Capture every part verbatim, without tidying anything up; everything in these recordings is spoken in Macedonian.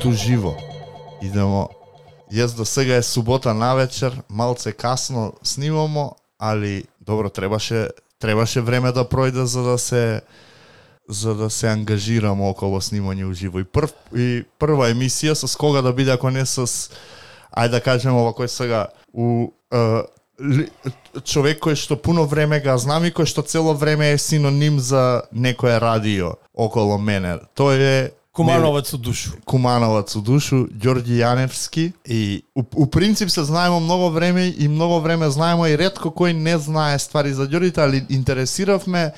опет уживо. Идемо. Јас до сега е субота навечер, малце касно снимамо, али добро требаше требаше време да пројде за да се за да се ангажирамо околу снимање уживо. И прв и прва емисија со кога да биде ако не со ајде да кажеме овако сега у е, ли, човек кој што пуно време га знам и кој што цело време е синоним за некое радио околу мене. Тој е Кумановац у душу. Кумановац у душу, Ѓорѓи Јаневски. И у, у принцип се знаемо многу време и многу време знаемо и ретко кој не знае ствари за Ѓорѓите, али интересиравме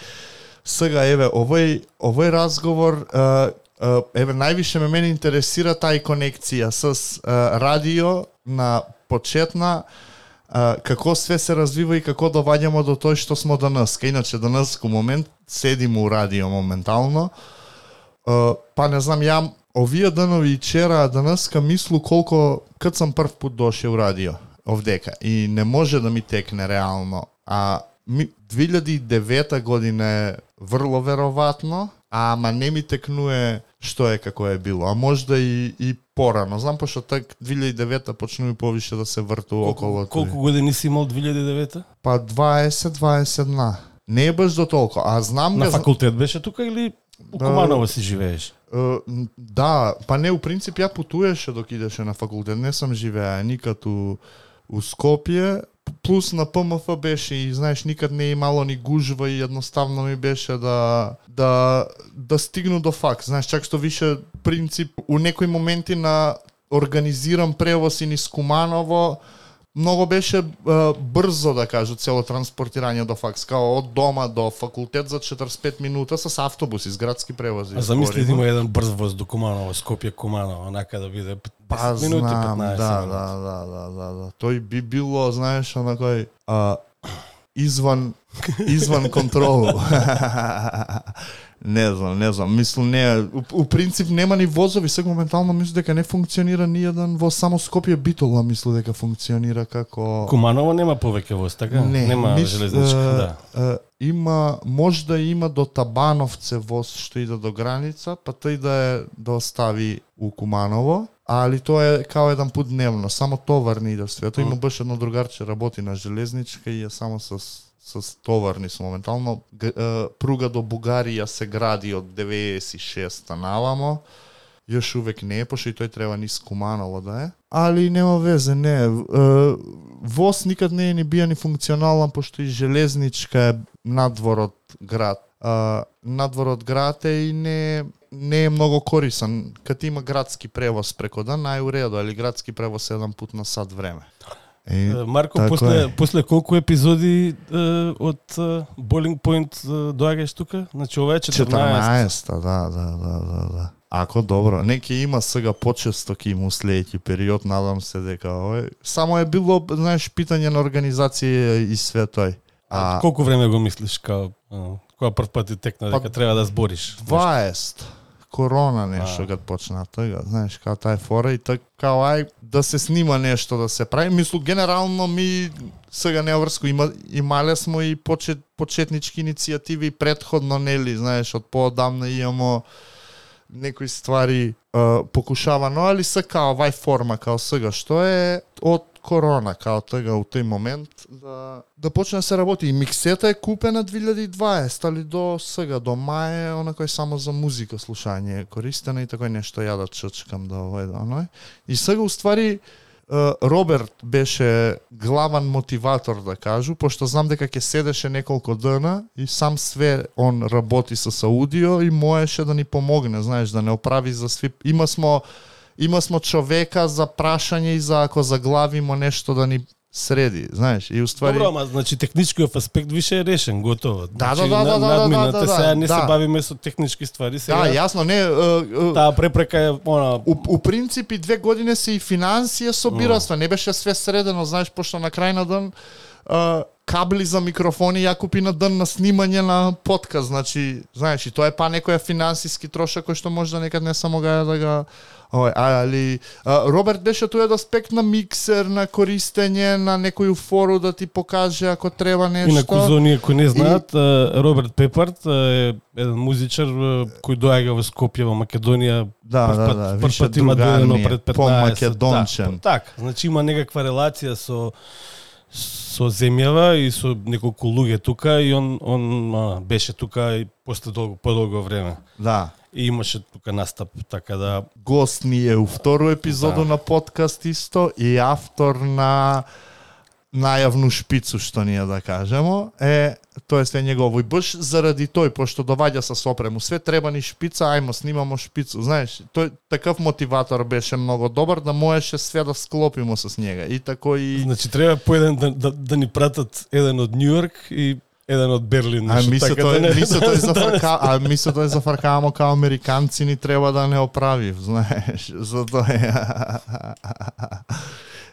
сега еве овој овој разговор е, еве највише ме мене интересира тај конекција со радио на почетна како све се развива и како доваѓамо до тој што смо данас. Иначе данас во момент седиме у радио моментално. Uh, па не знам, ја овие данови и вчера, данаска мислу колко, кад сам прв пут дошел у радио, овдека, и не може да ми текне реално. А ми, две илјади и девета година е врло вероватно, ама не ми текнуе што е како е било, а можда и, и порано. Знам, пошто так две илјади и девета почнува повише да се врту околу. Колку години си имал две илјади и девета? Па дваесет дваесет една. Не е баш до толку, а знам... На га... факултет беше тука или у Куманово си живееш? Uh, да, па не, у принцип ја путуеше док идеше на факултет, не сам живеа никад у, у Скопје, плюс на П М Ф беше и знаеш никад не имало ни гужва и едноставно ми беше да да да стигну до факс. Знаеш, чак што више принцип у некои моменти на организиран превоз и низ Куманово многу беше а, брзо, да кажу, цело транспортирање до факс, као од дома до факултет за четиридесет и пет минута со автобуси, с градски превози. А замисли да има еден брз воз до Куманово, Скопје Куманово, онака да биде десет минути, знам, петнаесет да, минути. да, да, да, да, да. Тој би било, знаеш, онакој а, изван изван контролу. Не знам, не знам, мислам не, у, у принцип нема ни возови, сега моментално мислам дека не функционира ни еден воз, само Скопје Битола мислам дека функционира како... Куманово нема повеќе воз, така? Не, нема мис, железничка, е, да. Е, има, можда има до Табановце воз што иде до граница, па тој да е да остави у Куманово, али тоа е као еден пут дневно, само товарни иде све. Тоа има баш едно другарче работи на железничка и е само со со товарни со моментално. Г, е, пруга до Бугарија се гради од деветдесет и шеста навамо. Још увек не е, пошто и тој треба низ Куманово да е. Али нема везе, не е. Воз никад не е ни бија ни функционален, пошто и железничка е надвор од град. А, надвор од град е и не, не е многу корисан. Кад има градски превоз преко ден, најуредо, али градски превоз еден пут на сат време. Е, Марко, после, е. после колку епизоди е, од Boiling Point доаѓаш тука? Значи ова е четрнаесет. четрнаесет, да, да, да, да, да. Ако добро, неќе има сега почесто ки му следејќи период, надам се дека овој само е било, знаеш, питање на организација и све тој. А, а колку време го мислиш као кога прв пат ти текна дека па, треба да збориш? дваесет. Корона нешто кад почна тоа, знаеш, као тај фора и така као ај да се снима нешто да се прави. Мислу генерално ми сега не врско има имале смо и почет, почетнички иницијативи претходно, нели, знаеш, од поодамна имамо некои ствари uh, покушавано, али се као вај форма као сега што е од корона, као тега у тој момент да да почне да се работи. И миксета е купена две илјади и дваесета, али до сега, до мај, онакој само за музика слушање е користена и такој нешто ја да чачкам да овој да оној. И сега уствари Роберт беше главан мотиватор, да кажу, пошто знам дека ќе седеше неколку дена и сам све он работи со аудио и можеше да ни помогне, знаеш, да не оправи за сви. Има смо Има смо човека за прашање и за ако заглавимо нешто да ни среди, знаеш, и уствари... Добро, ама значи техничкиот аспект више е решен, готово. Да, значи, да, да, да, надмината, да, да, да, сега не да. се бавиме со технички ствари, сега. Да, јасно, не... Uh, uh, таа препрека е она... У, у принципи две години се и финансија собираства, mm. не беше све средено, знаеш, пошто на крај на ден а, кабли за микрофони ја купи на ден на снимање на подкаст, значи, знаеш, и тоа е па некоја финансиски трошак кој што може да некад не само га да ga Ой, али а, Роберт беше тој аспект на миксер, на користење на некоju фору да ти покаже ако треба нешто. Инаку за оние кои не знаат, и... Роберт Пепард е еден музичар кој доаѓа во Скопје во Македонија. Да, прв да, пат, да, прв више пат има дојдено пред петнаесет. по-македончен. Да, така, значи има некаква релација со со земјава и со неколку луѓе тука и он он а, беше тука и после долго подолго време. Да. И имаше тука настап, така да... Гост ни е у второ епизоду да. на подкаст исто и автор на најавну шпицу, што ние да кажемо, е, тоа е негово. И баш заради тој, пошто доваѓа со сопрему, све треба ни шпица, ајмо снимамо шпицу. Знаеш, тој такав мотиватор беше многу добар да можеше све да склопимо с njega. И тако и... Значи треба по еден да, да, да ни пратат еден од Њујорк и еден од Берлин. А мисле така тој, да не... мисле тој за фарка, а мисле тој за фаркамо као американци ни треба да не оправив, знаеш, за тоа.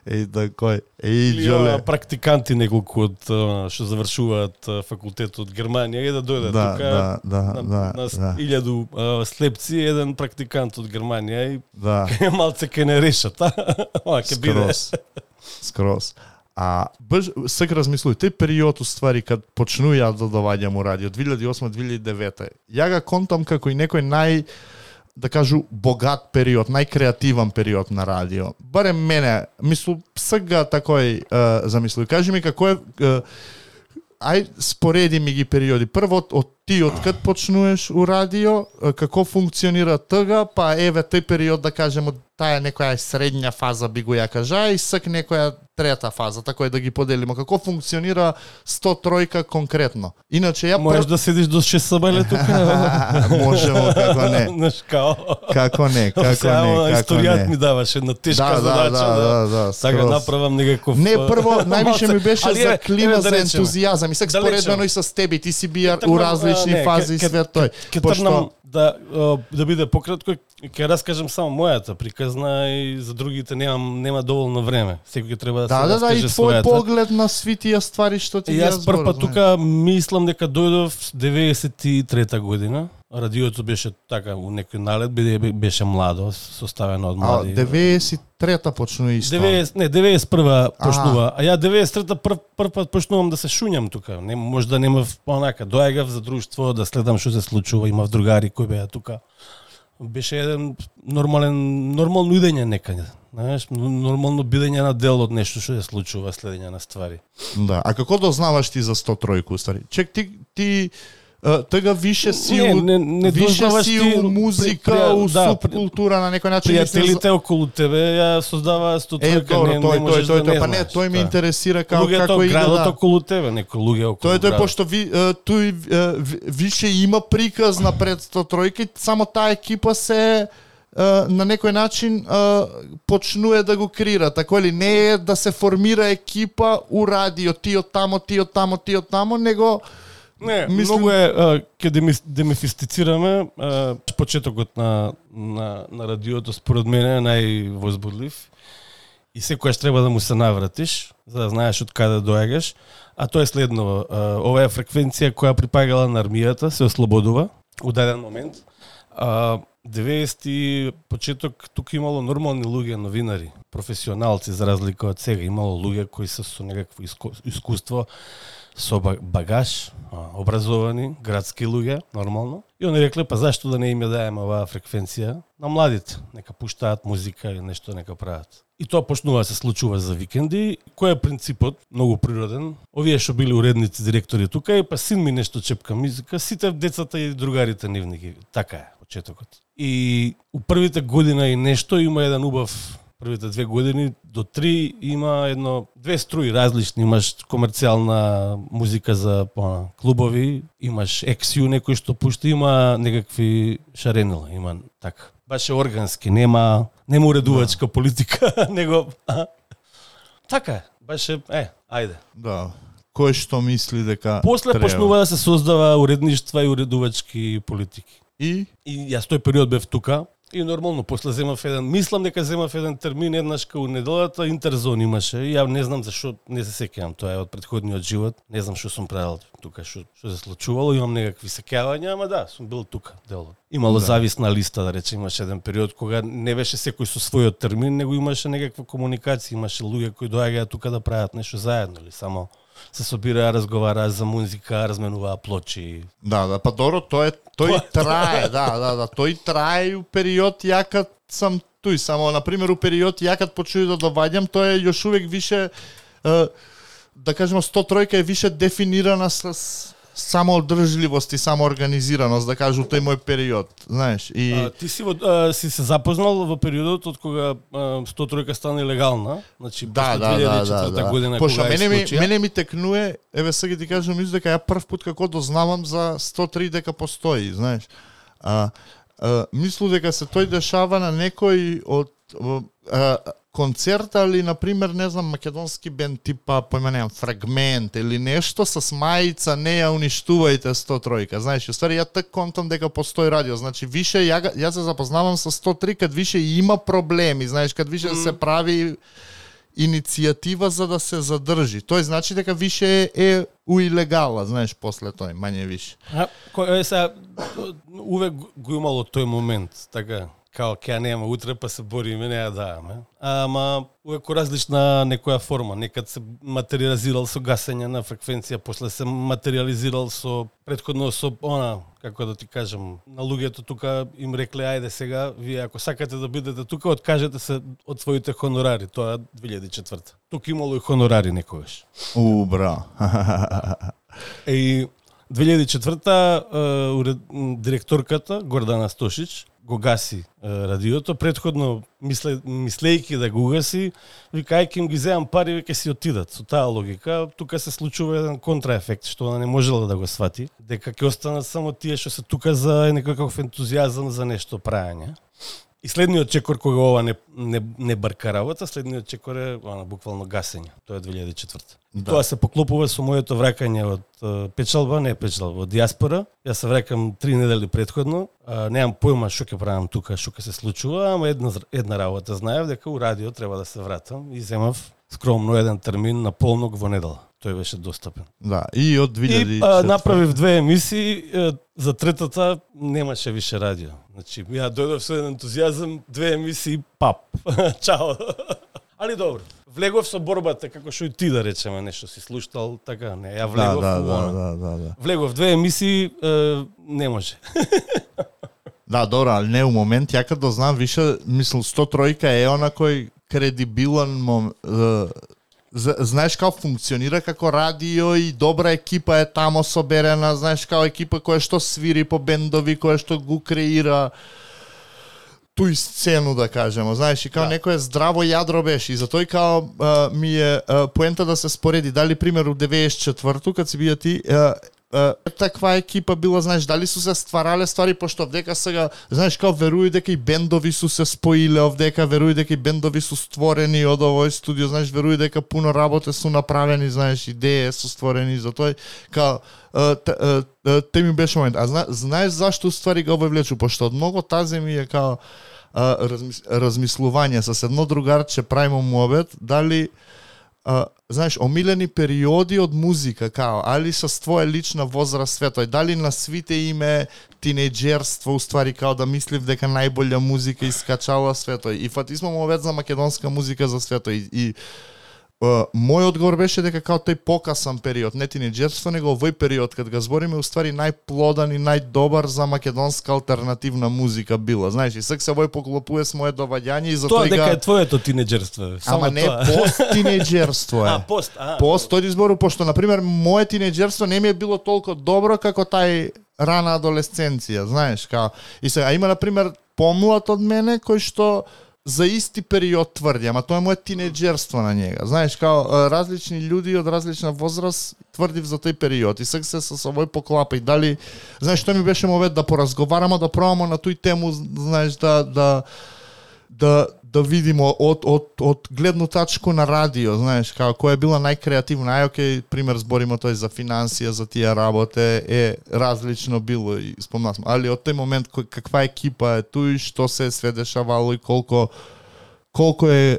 Еј такој, еј џоле. Практиканти неколку од што завршуваат факултет од Германија и да дојдат да, тука да, да, на, да, на да. илјаду слепци, еден практикант од Германија и да. малце ке не решат, а? Ке биде. Скрос. Скрос. А баш сак размислуј, тој период уствари кад почнува ја да доваѓам у радио две илјади и осма - две илјади и девета. Ја ga контам како и некој нај да кажу богат период, најкреативен период на радио. Барем мене, мислу сега такој uh, замислуј. Кажи ми како е uh, ај спореди ми ги периоди. Прво од ти од кад почнуваш у радио, како функционира тога, па еве тој период да кажеме таа некоја средња фаза би го ја кажа и сак некоја трета фаза, така е да ги поделиме како функционира сто тројка конкретно. Иначе ја можеш да седиш до шест сабајле тука. Можемо, како не. Знаеш као. Како не, како не, како не. Историјат ми даваш една тешка да, задача да, да, да, така направам некаков. Не, прво највише ми беше ali, за клима, за да ентузијазам и сак споредено и со тебе, ти си биар у различни не, фази и све тој. Ке трнам да да биде пократко, ќе раскажам само мојата приказна и за другите немам нема доволно време. Секој ќе треба да, да се да, да, и раскаже твој својата. поглед на свитија ствари што ти ја јас прв пат тука мислам дека дојдов деветдесет и трета година. Радиото беше така у некој налет, беше младо, составено од млади. А деветдесет и трета почнува исто. деветдесет не, деветдесет и прва почнува. А ја деветдесет и трета прв прв пат почнувам да се шуњам тука. Не може да немав онака, доаѓав за друштво да следам што се случува, имав другари кои беа тука. Беше еден нормален нормално идење некаде. Знаеш, нормално бидење на дел од нешто што се случува, следење на ствари. Да, а како дознаваш ти за сто тројку, стари? Чек, ти ти тега више си не, у, не, не више си ти, у музика, при, при, у да, субкултура на некој начин. Пријателите за... околу тебе ја создаваа сто тројка, е, не, тој, не можеш тој, тој, да не па не, тој ме интересира како луѓето, како иде градот да. околу тебе, некои луѓе околу тој, тој, градот. пошто ви, тој више има приказ на пред сто тројка, само таа екипа се на некој начин почнува да го крира, така ли не е да се формира екипа у радио, ти од тамо, ти од тамо, ти од тамо, него не, мислим... многу е ќе демифистицираме почетокот на на на радиото според мене е највозбудлив и секогаш треба да му се навратиш за да знаеш од каде доаѓаш, а тоа е следно, ова е фреквенција која припагала на армијата, се ослободува у даден момент. А, деветдесети почеток тука имало нормални луѓе, новинари, професионалци за разлика од сега, имало луѓе кои се со некакво искуство, со багаж, образовани, градски луѓе, нормално. И они рекле, па зашто да не им ја даеме оваа фреквенција на младите, нека пуштаат музика или нешто нека прават. И тоа почнува да се случува за викенди. Кој е принципот? Многу природен. Овие што били уредници, директори тука, и па син ми нешто чепка музика, сите децата и другарите нивни ги. Така е почетокот. И у првите година и нешто има еден убав, првите две години до три има едно две струи различни, имаш комерцијална музика за пона, клубови, имаш Ексиу некој што пушта, има некакви шаренила, има така. Баше органски, нема нема уредувачка политика, него а, така е, баше е, ајде. Да. Кој што мисли дека после треба. Почнува да се создава уредништва и уредувачки политики. И И јас тој период бев тука И нормално, после земав еден, мислам дека земав еден термин еднаш кај неделата, интерзон имаше. И ја не знам зашо не се сеќавам, тоа е од претходниот живот. Не знам што сум правил тука, што што се случувало, имам некакви сеќавања, ама да, сум бил тука дел. Имало да. Зависна листа, да речем, имаше еден период кога не беше секој со својот термин, него имаше некаква комуникација, имаше луѓе кои доаѓаат тука да прават нешто заедно или само се собираа, разговараа за музика, разменуваа плочи. Да, да, па добро, тој тој трае, да, да, да, тој трае у период јакат сам туј, само на пример у период јакат почуи да доваѓам, тоа е још увек више е, да кажеме сто тројка е више дефинирана с самоодржливост и самоорганизираност, да кажу, тој мој период, знаеш. И а, ти си, во, а, си се запознал во периодот од кога сто тројка стана легална, значи да, да, две илјади и да, четврта да, година да. Пошто кога мене ми случија. мене ми текнуе, еве сега ти кажам, мислам дека ја прв пат како дознавам за сто три дека постои, знаеш. А, а мислам дека се тој дешава на некој од а, концерта или, например, не знам, македонски бенд типа, појма немам, Фрагмент или нешто со мајица не ја уништувајте сто тројка. Знаеш, уствари ја так контам дека постои радио. Значи, више ја, ја се запознавам со сто три кад више има проблеми, знаеш, кад више mm. се прави иницијатива за да се задржи. Тој значи дека више е у илегала, знаеш, после тој, мање више. А, кој е сега, увек го имало тој момент, така, као ќе нема утре па се бориме, не ја даваме. Ама увек различна некоја форма, некад се материализирал со гасење на фреквенција, после се материализирал со претходно со она, како да ти кажам, на луѓето тука им рекле ајде сега, вие ако сакате да бидете тука, откажете се од своите хонорари, тоа две илјади и четврта. Тука имало и хонорари некогаш. У, бра. И две илјади и четврта директорката Гордана Стошич го гаси е, радиото, претходно мисле, мислејќи да го гаси, вика ај ќе им ги земам пари, веќе си отидат. Со таа логика, тука се случува еден контраефект, што она не можела да го свати, дека ќе останат само тие што се тука за некаков ентузијазам за нешто праење. И следниот чекор кога ова не, не, не барка работа, следниот чекор е она, буквално гасење. Тоа е две илјади и четврта. Да. Тоа се поклопува со моето враќање од uh, печалба, не печалба, од диаспора. Јас се враќам три недели претходно. Uh, немам појма што ќе правам тука, што ќе се случува, ама една, една работа знаев дека у радио треба да се вратам и земав скромно еден термин на полнок во недела. Тој беше достапен. Да, и од две илјади и четврта. И а, направив две емисии, за третата немаше више радио. Значи, ја дојдов со еден ентузијазам, две емисии, пап. Чао. Али добро. Влегов со борбата, како што и ти да речеме, нешто си слуштал, така, не, ја влегов. Да, да, да, да, да, да. Влегов две емисии, е, не може. Да, добро, ali не у момент, ја кога знам више, мислам, сто тројка е она кој кредибилен момент, знаеш како функционира како радио и добра екипа е тамо соберена, знаеш како екипа која што свири по бендови, која што го креира туј сцену, да кажемо, знаеш, и како да. Некое здраво јадро беше, и затоа као а, ми е а, поента да се спореди, дали пример у деветдесет и четврту кад си бија ти, а, а, таква екипа била, знаеш, дали су се стварале ствари, пошто вдека сега, знаеш, као веруј дека и бендови су се споиле овдека, веруј дека и бендови су створени од овој студио, знаеш, веруј дека пуно работе су направени, знаеш, идеи су створени, затоа као те ми беше момент. А зна, знаеш зашто ствари го вовлечу, пошто од многу тазе ми е као а, размис, размислување со едно другарче правимо муабет, дали а, знаеш, омилени периоди од музика, као, али со твоја лична возраст светој, дали на свите име тинеџерство, уствари као да мислив дека најболја музика искачала светој. И фатизмо муабет за македонска музика за светој. И Uh, мој одговор беше дека као тој покасан период, не тинеџерство, него овој период, кад га збориме, уствари најплодан и најдобар за македонска алтернативна музика била. Знаеш, и сак се овој поклопува с мое доваѓање и за тоа тој дека га... е твоето тинеџерство. Ама не, тоа. пост тинеџерство е. А, пост, а. Пост, тој избору, пошто, например, моје тинеџерство не ми е било толку добро како тај рана адолесценција, знаеш, као... И сега, има, например, помлад од мене, кој што за исти период тврди, ама тоа е моје тинеџерство на njega. Знаеш, као различни луѓе од различна возраст тврдив за тој период и сега се со овој поклапа и дали, знаеш, што ми беше мовет да поразговараме, да пробаме на тој тему, знаеш, да да да да видиме од, од, од гледну тачку на радио, знаеш, како која е била најкреативна, ај окей, пример збориме тој за финансија, за тие работе, е различно било и спомнав, али од тој момент кој, каква екипа е туј, што се све дешавало и колко колко е, е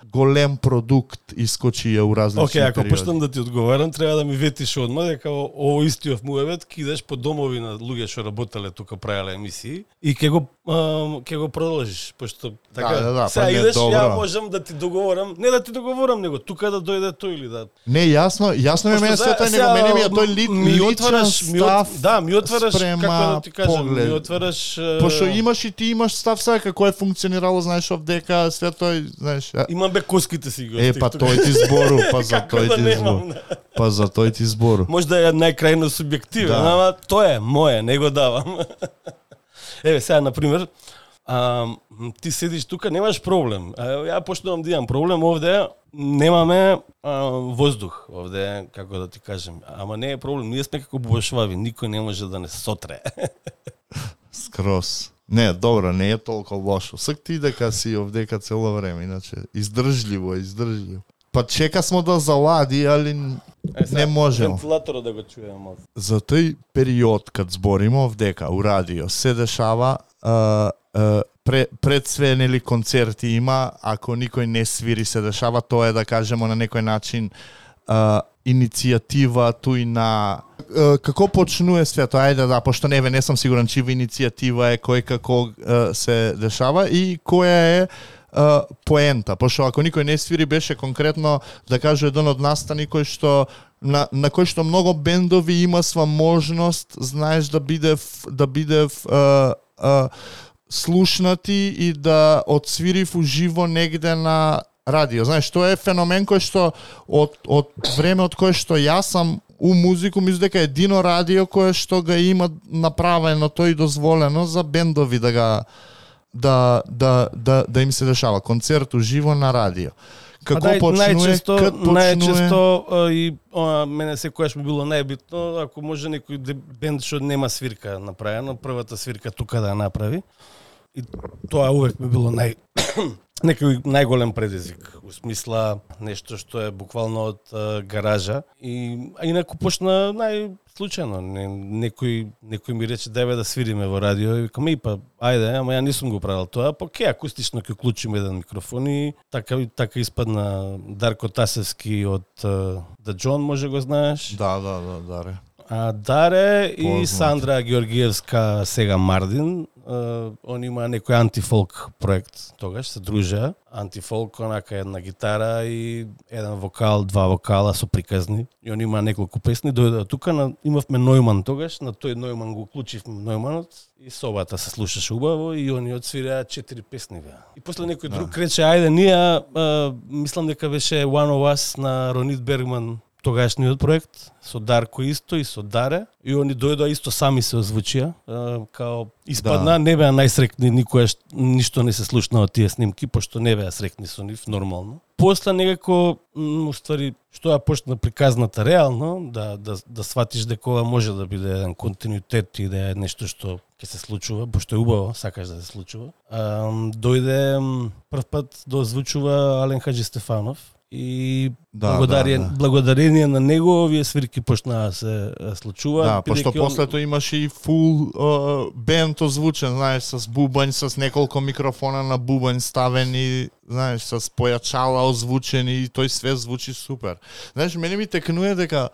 голем продукт искочија у различни Океј, okay, ако периоди. почнам да ти одговарам, треба да ми ветиш одма дека ово истиот муевет кидеш по домови на луѓе што работеле тука, правеле емисии и ќе го а, ќе го продолжиш, пошто така. Да, да, да, сега па не, идеш, добро. ја можам да ти договорам, не да ти договорам, него тука да дојде тој или да. Не, јасно, јасно е мене сето, него мене ми е тој ли, ми отвараш, личен ми от, став. да, ми отвараш спрема како да ти кажам, поглед. ми отвараш. Пошто имаш и ти имаш став сега како е функционирало, знаеш, овдека, све тој, знаеш. а- Имам бе коските си го. Е, па тој ти збору, па за Како тој да ти немам, збору. Па за тој ти збору. Може да е најкрајно субјективен, Да. ама тоа е моje, не го давам. Еве сега на пример, а, ти седиш тука, немаш проблем. А, ја почнувам да имам проблем овде, немаме а, воздух овде, како да ти кажем. Ама не е проблем, ние сме како бубашвави, никој не може да не сотре. Скрос. Не, добро, не е толку лошо. Сак ти дека си овдека цело време, иначе издржливо, е, издржливо. Па чека смо да залади, али Е, сега, не можемо. Вентилаторот да го чуем малку. За тој период кад збориме овдека у радио се дешава а, а, пре, пред све нели концерти има, ако никој не свири се дешава, тоа е да кажемо на некој начин а, иницијатива туј на а, како почнува свето, ајде да, пошто не ве не сум сигурен чива иницијатива е, кој како а, се дешава и која е Uh, поента, пошто ако никој не свири беше конкретно да кажу еден од настани кој што на, на кој што многу бендови има сва можност, знаеш, да биде да биде uh, uh, слушнати и да одсвирив уживо негде на радио. Знаеш, тоа е феномен кој што од од време од кое што јас сам у музику, мислам дека е едино радио кое што го има направено тој дозволено за бендови да го да да да да им се дешава концерт уживо на радио. Како Па, почнува, најчесто, кад почнува? најчесто а, и а, мене секогаш ми било најбитно, ако може некој де- бенд што нема свирка направено, првата свирка тука да ја направи. И тоа увек ми било нај некој најголем предизвик, у смисла нешто што е буквално од а, гаража и а инаку почна најслучајно. Не, некој некој ми рече дај да свириме во радио и викам и па ајде, ама ја нисум го правил тоа, па ке акустично ќе уклучиме еден микрофон и така така испадна Дарко Тасевски од uh, The John, може го знаеш. Да, да, да, Даре. А Даре и Познат. Сандра Георгиевска сега Мардин, uh, он има некој антифолк проект, тогаш се дружеа. Антифолк, онака една гитара и еден вокал, два вокала со приказни. И он има неколку песни, дојде тука, на, имавме Нојман тогаш, на тој Нојман го уклучивме Нојманот и собата се слушаше убаво и они одсвираа четири песни беа. И после некој друг Да. рече ајде ние, а, мислам дека беше One of Us на Ронит Бергман, тогашниот проект, со Дарко исто и со Даре, и они дојдоа исто сами се озвучија, а, као испадна, Да. не беа најсрекни, никојаш ништо не се слушна од тие снимки, пошто не беа срекни со нив, нормално. После некако, м, уствари, што ја почна приказната реално, да, да, да сватиш дека ова може да биде еден континуитет и да е нешто што ќе се случува, пошто е убаво, сакаш да се случува. А, дојде м, прв пат да озвучува Ален Хаджи Стефанов, и Да, благодарение, да, да. благодарение на него овие свирки почнаа да се случуваат. Да, пошто бидејќи он- после тоа имаше и фул uh, бенд озвучен, знаеш, с бубањ, с неколку микрофона на бубањ ставени, знаеш, с појачала озвучени и тој све звучи супер. Знаеш, мене ми текнува дека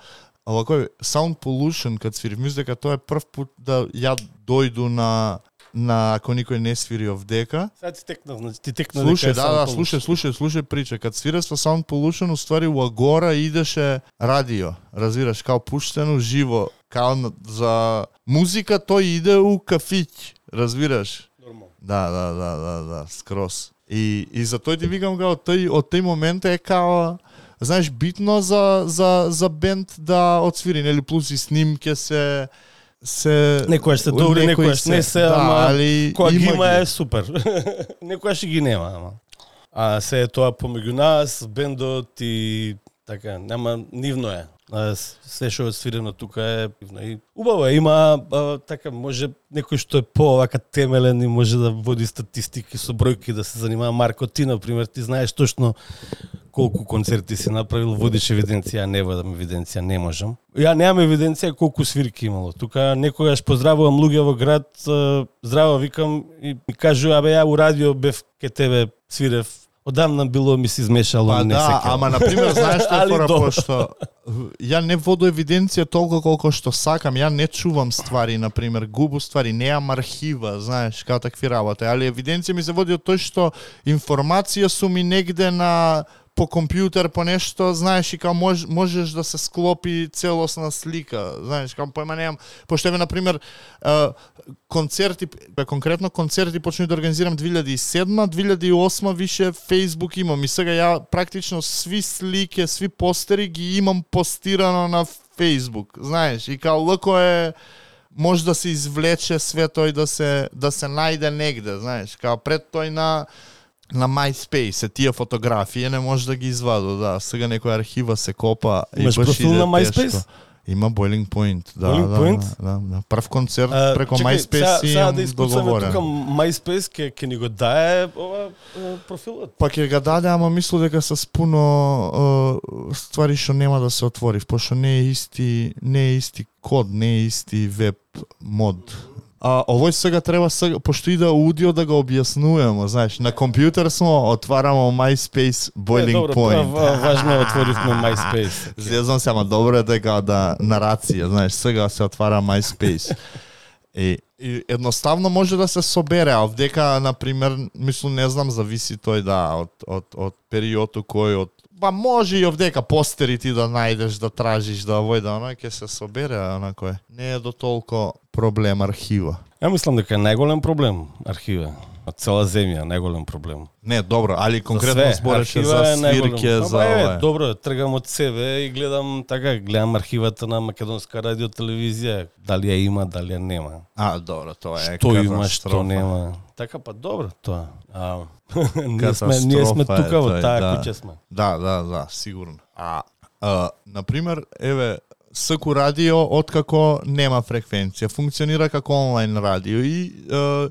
овако Sound Pollution кад свири, мислам дека тоа е прв пат да ја дојду на на ако никој не свири овдека. Сега ти текна, значи ти текна Слушај, дека е да, да, Sound слушај, Pollution. слушај, слушај прича. Кад свира со Sound Pollution, уствари у Агора идеше радио, разбираш, као пуштено живо, као на- за музика тој иде у кафиќ, разбираш? Нормално. Да, да, да, да, да, скрос. И и за тој ти викам као тој од тој момент е као знаеш битно за за за бенд да отсвири, нели, плюс и снимке се се Некојаш се добри, некои некојаш не се, да, ама али кога ги има ги. е супер. Некојаш и ги нема, ама. А се е тоа помеѓу нас, бендот и така, нема нивно е. А, се што е свирено тука е и убаво е, има а, така може некој што е по-вака темелен и може да води статистики со бројки, да се занимава. Марко, ти например, ти знаеш точно колку концерти си направил, водиш евиденција, не водам евиденција, не можам. Ја немам евиденција колку свирки имало. Тука некогаш поздравувам луѓе во град, здраво викам и ми кажу, абе ја у радио бев ке тебе свирев. Одамна било ми се измешало, па, не да, се ама на пример знаеш што е фора, пошто ја не воду евиденција толку колку што сакам, ја не чувам ствари, на пример, губу ствари, неам архива, знаеш, као такви работи, али евиденција ми се води од тој што информација су ми негде на по компјутер, по нешто, знаеш, и као мож, можеш да се склопи целосна слика, знаеш, као појма немам, пошто еве, например, концерти, конкретно концерти почнуј да организирам две илјади и седма, две илјади и осма више Facebook имам и сега ја практично сви слики, сви постери ги имам постирано на Facebook, знаеш, и као лако е може да се извлече све тој да се да се најде негде, знаеш, као пред тој на на MySpace, тие фотографии не може да ги изваду, да, сега некоја архива се копа и баш профил на MySpace? Тешко. Има Boiling Point, да, Boiling да, Point? да, да, прв концерт А, преко чекай, MySpace си сега имам да искуцаме договорен. тука MySpace ке ке ни го дае ова профилот. Па ќе ga даде, ама мислам дека се спуно uh, ствари што нема да се отвори, пошто не е исти, не е исти код, не е исти веб мод. А овој сега треба сега, пошто иде аудио да го објаснуваме, знаеш, на компјутер смо отварамо MySpace Boiling е, добро, Point. Добро, важно отворивме MySpace. Зезам се, ама добро е дека да нарација, знаеш, сега се отвара MySpace. И, и едноставно може да се собере, а вдека, например, мислам, не знам, зависи тој да од од од периодот кој од па може и овдека постери ти да најдеш, да тражиш, да овој да оној ќе се собере, онако е. Не е до толку проблем архива. Ја мислам дека е најголем проблем архива. Од цела земја најголем проблем. Не, добро, али конкретно збореше за свирке, за ова. Добро, тргам од себе и гледам така, гледам архивата на Македонска радио телевизија, дали ја има, дали ја нема. А, добро, тоа е што има, што нема. Така па добро тоа. А, ние сме ние сме тука во таа да. куќа сме. Да, да, да, сигурно. А, а на пример, еве СКУ радио откако нема фреквенција, функционира како онлайн радио и а,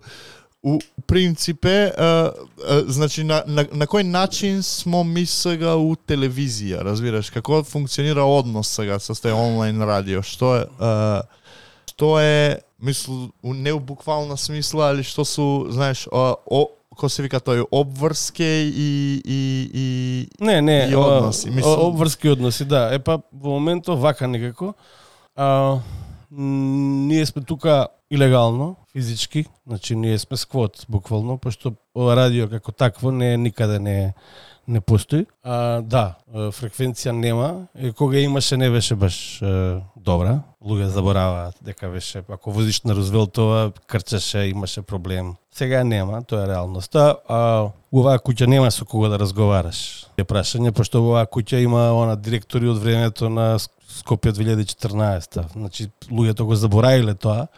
у принципе, а, а, значи на, на, на кој начин смо ми сега у телевизија, разбираш, како функционира однос сега со тој онлайн радио, што е а, што е, мислу, не у буквална смисла, али што су, знаеш, а, о, ко се вика тој, обврске и и и Не, не, и односи, о, мислам. обврски односи, да. Е па во моментот вака некако. А, ние сме тука илегално, физички, значи ние сме сквот буквално, пошто ова радио како такво не никаде не не постои. А, да, фреквенција нема, и кога имаше не беше баш е, добра. Луѓе забораваат дека беше, ако возиш на Рузвелтова, крчаше, имаше проблем. Сега нема, тоа е реалноста. А оваа куќа нема со кого да разговараш. Е прашање, пошто оваа куќа има она директори од времето на Скопје две илјади и четрнаесета. Значи, луѓето го заборавиле тоа.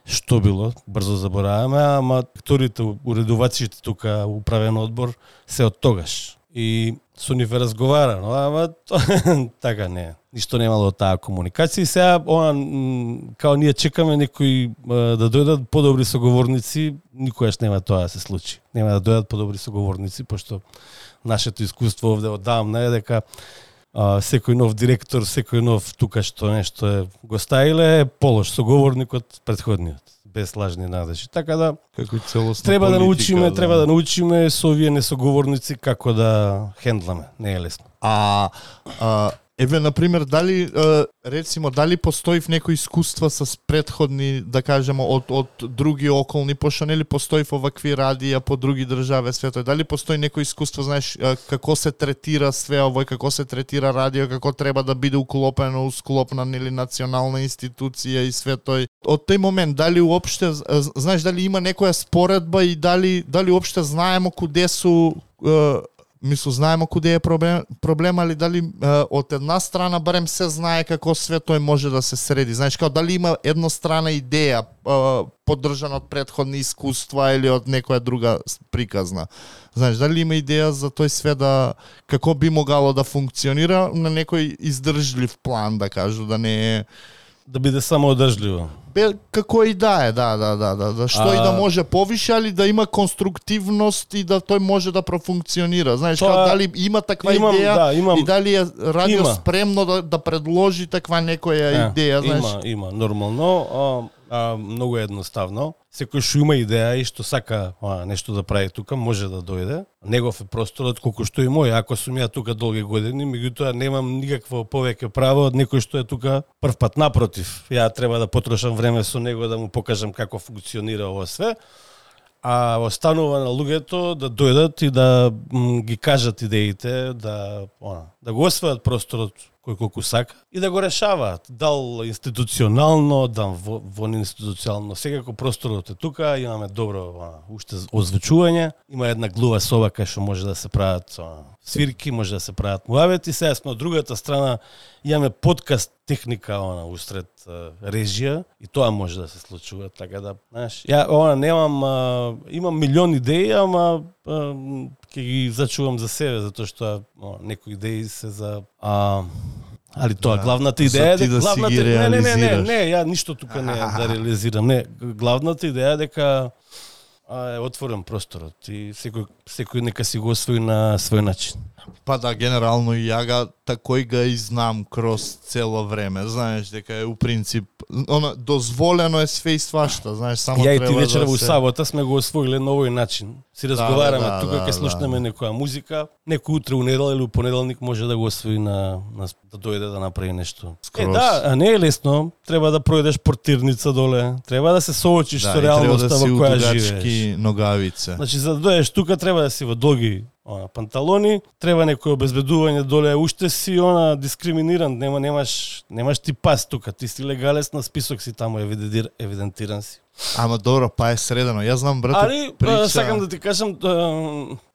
Што било, брзо забораваме, ама акторите, уредувачите тука, управен одбор, се од тогаш. И со нив разговарано, ама така не. Ништо немало од таа комуникација. И сега, она, као ние чекаме некои да дојдат подобри соговорници, никогаш нема тоа да се случи. Нема да дојдат подобри соговорници, пошто нашето искуство овде одамна е дека а, секој нов директор, секој нов тука што нешто е го стаиле е полош соговорник од претходниот, без лажни надежи. Така да како целосна треба политика, да научиме, да. треба да научиме со овие несоговорници како да хендламе. Не е лесно. А, а еве, например, дали, е, рецимо, дали постои в некои искуства с предходни, да кажемо, од, од други околни, пошто нели постои во вакви радија по други држави светот, дали постои некој искуство, знаеш, е, како се третира све овој, како се третира радио, како треба да биде уклопено, усклопна, нели, национална институција и све тој. Од тој момент, дали уопште, знаеш, дали има некоја споредба и дали, дали уопште знаемо куде су, е, мислу, знаеме куде е проблем, проблем али дали е, од една страна барем се знае како све тој може да се среди. Знаеш, како дали има еднострана идеја, е, поддржана од претходни искуства или од некоја друга приказна. Знаеш, дали има идеја за тој све да, како би могало да функционира на некој издржлив план, да кажу, да не е... Да биде само одржливо. Бе, како и да е, да, да, да, да, да што а... и да може повише, али да има конструктивност и да тој може да профункционира. Знаеш, тоа... како, дали има таква имам, идеја да, имам... и дали е радио има. спремно да, да предложи таква некоја е, идеја, знаеш? Има, има, нормално, а, а, многу едноставно. Секој што има идеја и што сака а, нешто да прави тука, може да дојде. Негов е просторот колку што и мој. Ако сум ја тука долги години, меѓутоа немам никакво повеќе право од некој што е тука прв пат. Напротив, ја треба да потрошам време со него да му покажам како функционира ова све. А останува на луѓето да дојдат и да м, ги кажат идеите, да, она, да го освојат просторот кој колку сака и да го решаваат. Дал институционално, дал вон институционално. Секако просторот е тука, имаме добро а, уште озвучување. Има една глува соба кај што може да се прават а, свирки, може да се прават муавети. Сега сме од другата страна, имаме подкаст техника она усред а, режија и тоа може да се случува, така да, знаеш. Ја она немам а, имам милион идеи, ама а, ќе ги зачувам за себе, затоа што а, некои идеи се за а, али тоа да, главната идеја е дека да главната ги не, не, не, не, не, ја ништо тука не е да реализирам. Не, главната идеја е дека а, е отворен просторот и секој секој нека си го освои на свој начин. Па да, генерално и ја га такој га и знам кроз цело време, знаеш, дека е у принцип она дозволено е све и свашта, знаеш, само ја треба и ти вечера да во се... сабота сме го освоиле на овој начин. Си разговараме да, да, тука да, ќе слушнеме да. некоја музика, некој утре у недела или у понеделник може да го освои на, на да дојде да направи нешто. Скроз. Е да, а не е лесно, треба да пројдеш портирница доле, треба да се соочиш да, со реалноста да во која живееш. си ногавице. Значи за да дојдеш тука треба да си во долги она, панталони, треба некој обезбедување доле, уште си она дискриминиран, нема немаш немаш ти пас тука, ти си легалец на список си таму евидентир, евидентиран си. Ама добро, па е средено. Јас знам брато Али прича... сакам да ти кажам,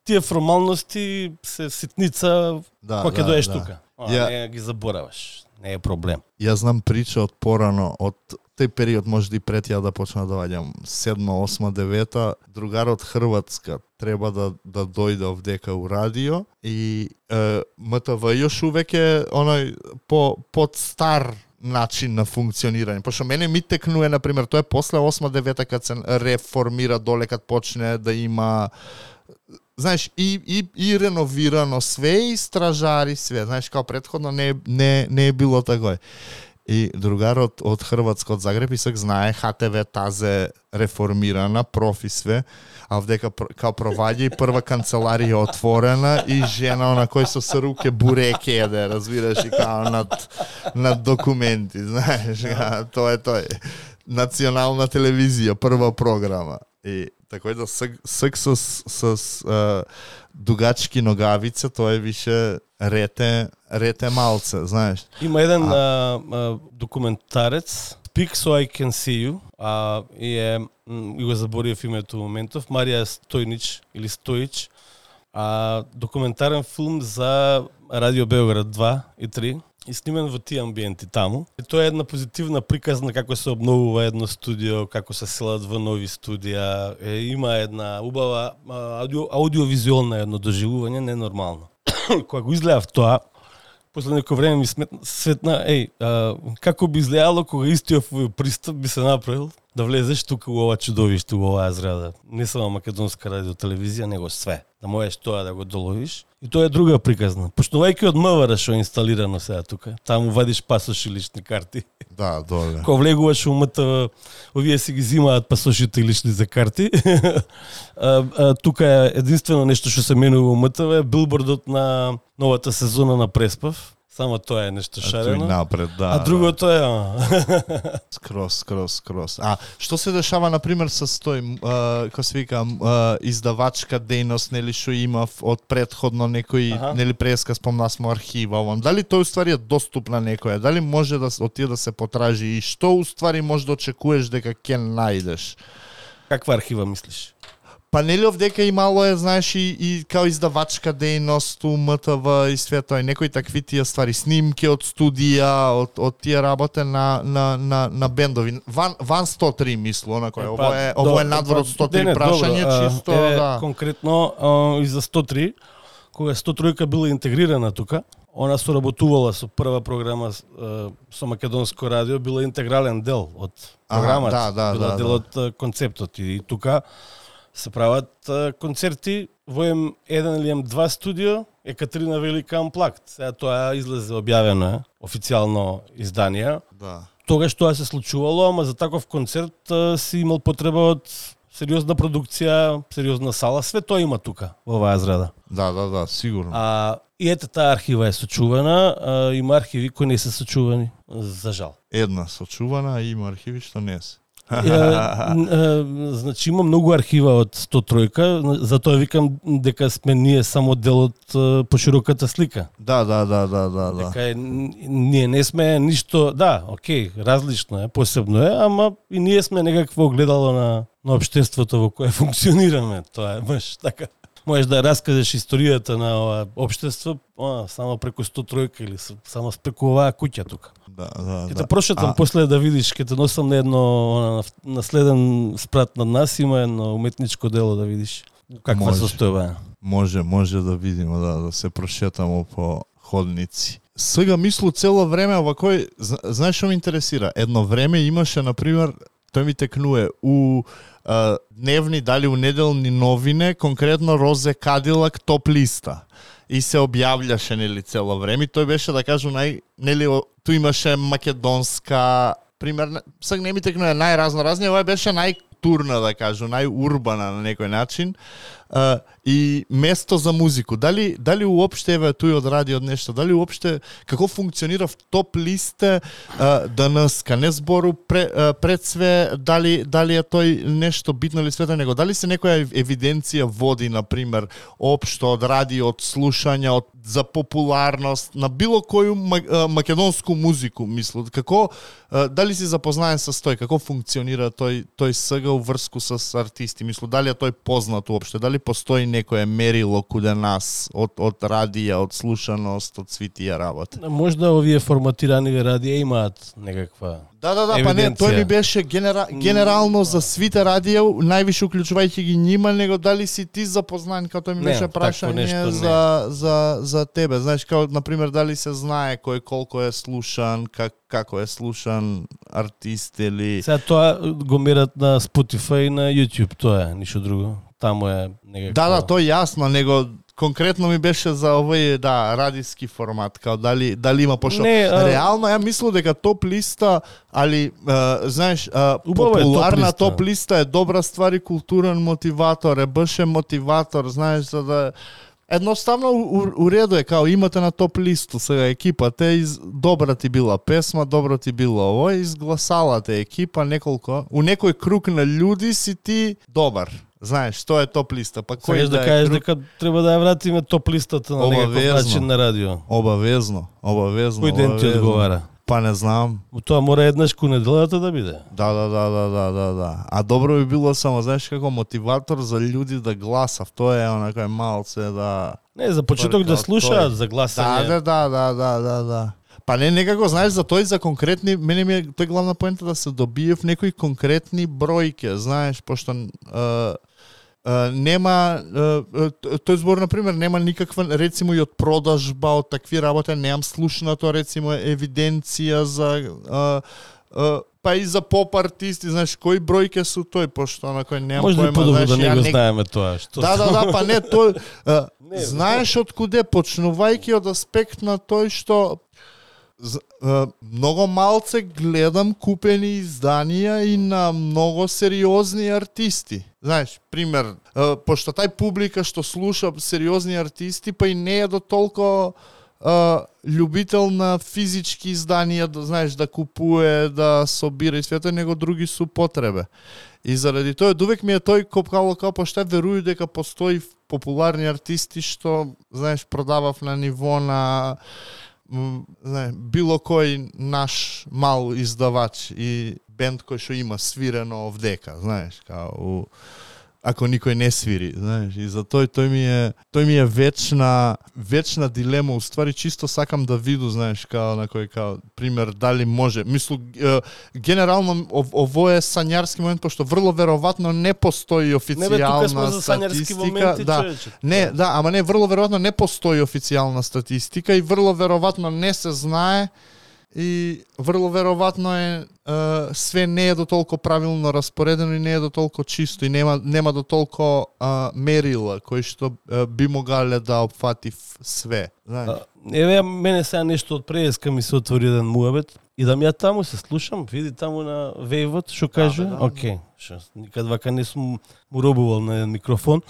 тие формалности се ситница да, кога ќе да, доеш да. тука. А, Ја... не ги забораваш, не е проблем. Јас знам прича од порано, од тој период може и пред ја да почна да доаѓам, седма, осма, девета, другар од Хрватска треба да да дојде овдека у радио и е, МТВ још увек е оној по под стар начин на функционирање. Пошто мене ми текнуе, например, тоа е после осма, девета кад се реформира доле, кад почне да има, знаеш, и, и, и реновирано све, и стражари све. Знаеш, као претходно не, не, не е било такој. И другарот од Хрватска, од Загреб, и сак знае ХТВ тазе реформирана, профи све, а овдека као проваѓа и прва канцеларија отворена и жена на кој со се руке буреке еде, разбираш, и као над, над документи, знаеш, а, тоа е тој. Национална телевизија, прва програма. И такој да сак, сак со, со, со дугачки ногавица, тоа е више рете, рете малце, знаеш. Има еден а... а, а, документарец, Speak So I Can See You, а, и е, и го заборив името моментов, Марија Стојнич или Стоич, а, документарен филм за Радио Белград два и три, и снимен во тие амбиенти таму. И тоа е една позитивна приказна како се обновува едно студио, како се селат во нови студија. Е, има една убава аудио, аудиовизуелна едно доживување, ненормално. Кога го изгледав тоа, после некој време ми сметна, светна, еј, а, како би изгледало кога истиот овој пристап би се направил да влезеш тука во ова чудовиште, во оваа зграда. Не само македонска радиотелевизија, него све. Да можеш тоа да го доловиш. И тоа е друга приказна. Почнувајќи од МВР што е инсталирано сега тука, таму вадиш пасош и лични карти. Да, доле. Кога влегуваш во МТВ, овие си ги зимаат пасошите и лични за карти. а, а, тука е единствено нешто што се менува во МТВ, билбордот на новата сезона на Преспав. Само тоа е нешто шарено. А, напред, да, а другото е... скрос, скрос, скрос. А, што се дешава, например, со тој, како се вика, а, издавачка дејност, нели, што има од предходно некој, ага. Нели, преска спомна смо архива, овам. Дали тој уствари е доступна некоја? Дали може да отиде да се потражи? И што уствари може да очекуваш дека ќе најдеш? Каква архива мислиш? Па нели овдека имало е, знаеш, и, и као издавачка дејност, у М Т В и све тоа, и некои такви тие ствари, снимки од студија, од, од тие работе на, на, на, на бендови. Ван, ван сто три, мислу, онако е. Ово е, ово е надвор од сто три не, не, прашање, добро, чисто, е, да. Конкретно, а, и за сто три, кога сто три била интегрирана тука, она соработувала со прва програма а, со Македонско радио, била интегрален дел од програмата, ага, да, да, била да, дел да. од концептот. И тука се прават а, концерти во М еден или М два студио, Екатерина Велика Амплакт. Сега тоа излезе објавено е, официјално издание. Да. Тогаш тоа се случувало, ама за таков концерт а, си имал потреба од сериозна продукција, сериозна сала, све тоа има тука, во оваа зграда. Да, да, да, сигурно. А и ете таа архива е сочувана, а, има архиви кои не се сочувани, за жал. Една сочувана, и има архиви што не се. Е, е, значи има многу архива од сто три, затоа викам дека сме ние само дел од е, пошироката слика. Да, да, да, да, да, да. Дека е, ние не сме ништо, да, окей, различно е, посебно е, ама и ние сме некакво огледало на на општеството во кое функционираме. Тоа е баш така. Можеш да раскажеш историјата на ова општество а, само преку сто три или само преку оваа куќа тука. Да, да, Ке да. те прошетам А, после да видиш, ке те носам на едно на, на следен спрат над нас, има едно уметничко дело да видиш каква Може. состојба е. Може, може да видиме, да, да се прошетамо по ходници. Сега мислу цело време овакој, знаеш што ме интересира? Едно време имаше, например, тој ми текнуе у а, дневни, дали у неделни новине, конкретно Розе Кадилак топ листа. И се објавljаше, нели, цело време. Тој беше, да кажу, нај, нели, ту имаше македонска, пример, сега не ми текнуе најразноразни, ова беше најтурна, да кажу, најурбана на некој начин. Uh, и место за музику. Дали дали уопште еве тој од радио нешто, дали уопште како функционира в топ листе uh, денеска, не збору пре, uh, пред све дали дали е тој нешто битно или свето него, дали се некоја евиденција води, на пример, општо од радио, од слушања, од за популарност на било коju македонску музику, мислу, како uh, дали си запознаен со тој, како функционира тој тој сега уврску со артисти, мислу, дали е тој познат уопште, дали постои некое мерило куде нас од од радија, од слушаност, од сви тие работи. Можда овие форматирани радија имаат некаква. Да, да, да, па не, тој ми беше генера, генерално за свите радија, највише уклучувајќи ги нима, него дали си ти запознан, како тој ми беше прашање за за за тебе, знаеш, како на пример дали се знае кој колку е слушан, как како е слушан артист или Сега тоа го мерат на Spotify и на YouTube, тоа е, ништо друго. Таму е некако. Да, да, тоа јасно, него конкретно ми беше за овој, да, радиски формат, као дали дали има пошто. Не, а... Реално ја мислам дека топ листа, али а, знаеш, а, Убава популарна е топ листа. топ листа е добра ствар и културен мотиватор, е беше мотиватор, знаеш, за да едноставно у, у реду е, као имате на топ листу сега екипата, из добра ти била песма, добро ти било ово, изгласала те екипа неколку, у некој круг на луѓи си ти добар. Знаеш, тоа е топ листа, па кој Сакаш да, да кажеш круг... дека треба да ја вратиме топ листата на некој начин на радио. Обавезно, обавезно. Кој ден ти одговара? Па не знам. Тоа мора еднаш ко неделата да биде. Да, да, да, да, да, да, да. А добро би било само, знаеш, како мотиватор за луѓе да гласав. Тоа е онакој малце да... Не, за почеток да слушаат, за гласање. Да, да, да, да, да, да. Па не, некако, знаеш, за тој за конкретни, мене ми е тој главна поента да се добие в некои конкретни бројке, знаеш, пошто uh, uh, нема, uh, тој збор, например, нема никаква, рецимо и од продажба, од такви работи, немам слушнато, рецимо, евиденција за... Uh, uh, па и за поп артисти, знаеш, кои бројке су тој, пошто на кој немам Може поема, да подобро да не го не... знаеме тоа. Што Да, да, да, па не, тој... Uh, Не, знаеш од куде, почнувајќи од аспект на тој што З, е, многу малце гледам купени изданија и на многу сериозни артисти. Знаеш, пример, е, пошто тај публика што слуша сериозни артисти, па и не е до толку е, љубител на физички изданија, да знаеш, да купуе, да собира и свето, него други су потребе. И заради тоа, довек ми е тој копкало као пошто веруju дека постои популарни артисти што, знаеш, продавав на ниво на не, било кој наш мал издавач и бенд кој што има свирено овдека, знаеш, као у... ако никој не свири, знаеш, и за тој тој ми е тој ми е вечна вечна дилема, уствари чисто сакам да виду, знаеш, као на кој као пример дали може. Мислу генерално ово е сањарски момент, пошто врло веројатно не постои официјална статистика. Моменти, да, човече. не, да, ама не врло веројатно не постои официјална статистика и врло веројатно не се знае и врло веројатно е, е све не е до толку правилно распоредено и не е до толку чисто и нема нема до толку е, мерила кои што е, би могале да опфати све, знаеш. Еве мене сега нешто од преска ми се отвори еден муабет и да ми ја таму се слушам, види таму на вејвот што каже. Да, да, да. Океј, што никад вака не сум му робувал на еден микрофон.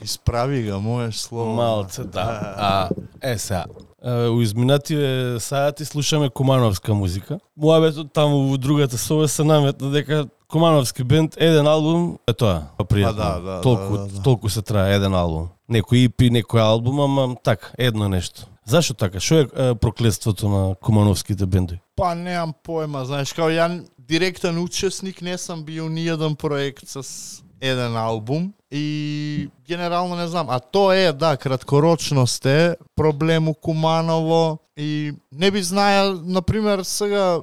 Исправи го, можеш слово. Малце, да. А, е сега. У изминативе саати слушаме кумановска музика. Муабетот таму во другата соба се наметна дека кумановски бенд, еден албум, е тоа, пријатно. Да, да, толку, да, да, да. толку се трае еден албум. Некој и пи, некој албум, ама така, едно нешто. Зашо така? Што е, е проклетството на кумановските бендови? Па немам појма, знаеш, као ја директен учесник не сам бил ни еден проект с еден албум и генерално не знам, а тоа е, да, краткорочност е проблем у Куманово и не би знаел, например, сега